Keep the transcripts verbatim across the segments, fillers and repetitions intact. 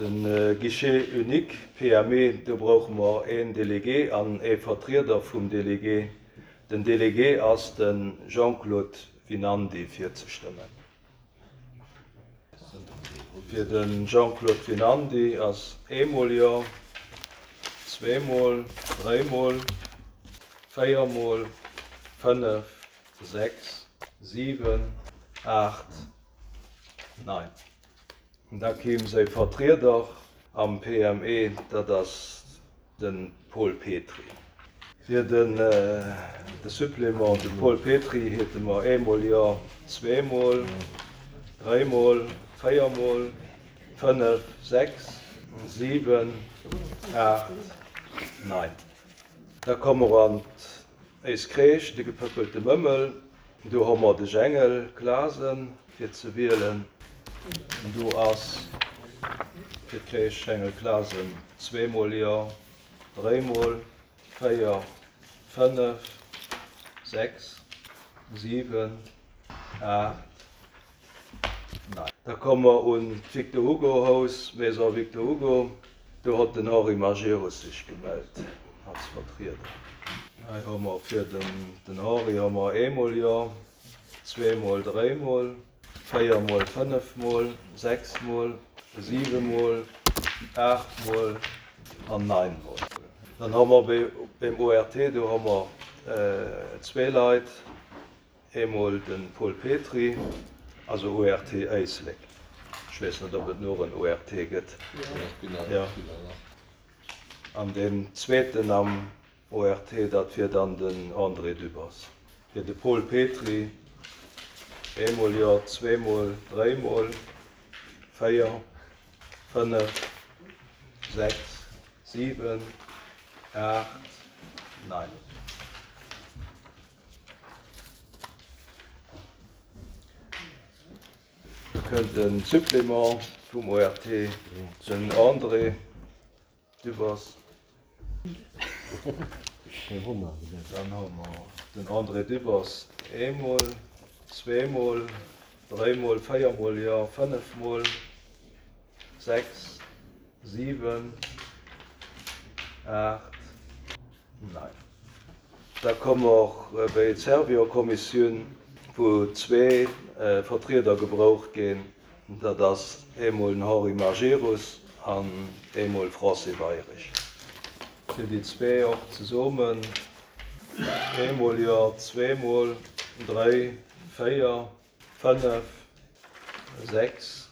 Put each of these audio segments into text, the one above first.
De Guichet unique P M E, do brauche mer een Délégué an ee Vertrieder vum Délégué. Den Délégué ass de Jean-Claude Vinandy virzestëmmen. Fir de Jean-Claude Vinandy ass eemol jo, zweemol, dréimol, véiermol, fënnef, sechs, siwen, aacht, nein. Da kéim säi Vertrieder am P M E, dat ass de Paul Petry. Fir den de Supplément, de Paul Petry, hätte mer eemol jo, zweemol, dréimol, véiermol, fënnef, sechs, siwen, aacht, nein. Da komme mer an éis Crèche, de Gepëppelte Mëmmel. Do hu mer de Jengel Klasen fir ze wielen. Do ass fir d'Crèche Jengel Klasen zweemol jo, dréimol, véier, fënnef, sechs, siwen, aacht, nein. Da komme mer un d'Victor Hugo Haus, Maison Victor Hugo. Do huet den Henri Majerus sech gemellt als Vertrieder. Hei hu mer fir den, den Henri hu mer eemol jo, zweemol, dréimol, véiermol, fënnefmol, sechsmol, siwemol, aachtmol an neinmol. Dann hu mer beim O R T, do hu mer äh, zwee Leit, eemol de Paul Petry, also O R T Éislek. Ech weess net, ob et nach en O R T gëtt. Ja. An den zweeten am O R T, dat wier dann den André Dübbers. Fir de Paul Petry, eemol jo, zweemol, dréimol, véier, fënnef, sechs, siwen, aacht, nein. Da kënnt den Supplément vum O R T, den André Dübbers. Dann hu mer den André Dübbers eemol, zweemol, dréimol, véiermol jo, fënnefmol, sechs, siwen, aacht, nein. Da komme mer bei d'Servio-Kommissioun, wou zwee äh, Vertrieder gebraucht ginn. Dat ass eemol den Henri Majerus an eemol Francis Weyrich. Fir déi zwee och zesummen, eemol jo, zweemol, dräi, véier, fënnef, sechs,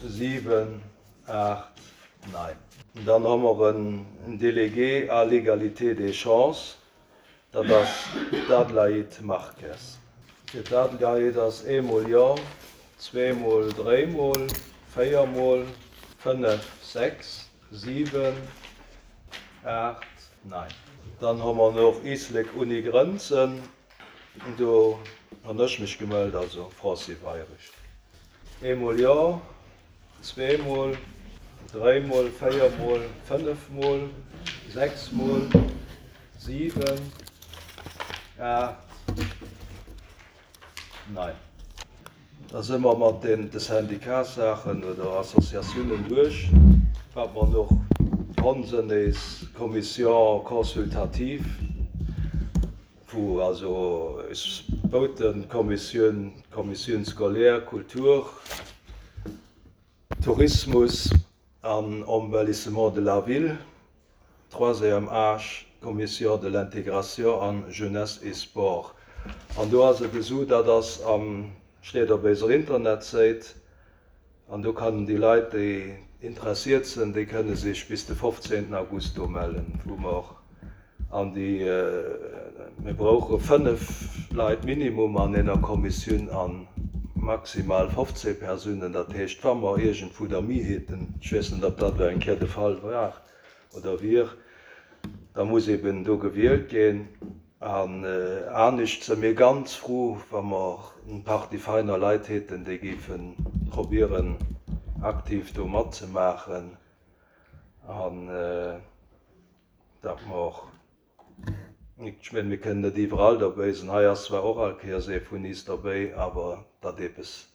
siwen, aacht, nein. Dann hu mer en Délégué à l'égalité des chances, dat ass d'Adelaide Marques. Fir d'Adelaide ass eemol jo, zweemol, dréimol, véiermol, fënnef, sechs, siwen, aacht, nein. Dann hu mer nach Éislek ouni Grenzen. Do hunn ech mech gemellt, also Francis Weyrich. Eemol jo, zweemol, dréimol, véiermol, fënnefmol, sechsmol, siwen, aacht, nein. Da si mer mat den de Syndikatssaachen oder Associatiounen duerch. Wat mer nach hunn, sinn eis Commission consultative, wou also eis Boutenkommissioun, Commission scolaire, Kultur, Tourismus an Embellissement de la ville, troisième âge, Commission de l'intégration an Jeunesse et Sport. An do ass et esou, dat ass am steet op eiser Internetsäit, an do kënnen déi Leit, déi interessiert sinn, déi kënne sech bis de fofzéngten August do mellen, wou mer an déi äh, mir brauche fënnef Leit Minimum an enger Kommissioun an maximal fofzéng Persounen. Dat heescht, wa mer iergendwou der méi hätten, ech weess net, ob dat eng Kéier de Fall war oder wier, da muss eben do gewielt ginn. An äh, anescht si mir ganz frou, wa mer eng Partie feiner Leit hätten, déi géife probéieren, aktiv do matzemaachen an äh, dat mer ech mengen, mir kënnen net iwwerall dobäi sinn. Hei ass zwar och all Kéiers ee vun eis dobäi, awer dat eppes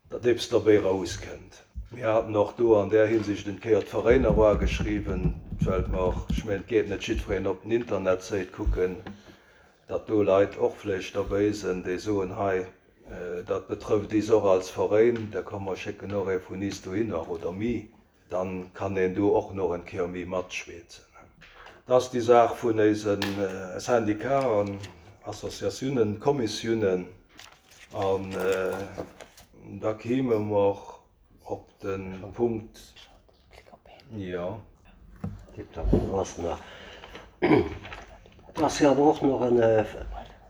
dat eppes dobäi rauskënnt. Mir haten och do an där Hinsicht en Kéier d'Veräiner ugeschriwwen, well mer, ech mengen, et geet net jiddwereen op den Internetsäit kucken, datt do Leit och vläicht derbäi sinn, déi soen, hei, dat betrëfft is och als Veräin, da komm mer schécken och ee vun is dohinner oder mi, dann kann een do och nach en Kéier méi matschwätzen. Dat ass déi Saach vun eise Syndicaten, Associatiounen, Kommissiounen an da kéime mer op de Punkt, jo. Et ass jo awer och nach en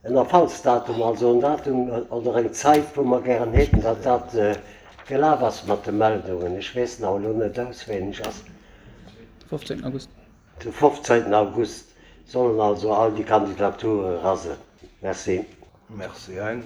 en Erfallsdatum, also en Datum oder eng Zäit, wou mer gären hätten, datt dat gelaf ass mat de Meldungen. Ech weess nach elo net auswenneg. Ass fofzéngten August. De fofzéngten August sollen also all déi Kandidature era sinn. Merci. Merci, Hein.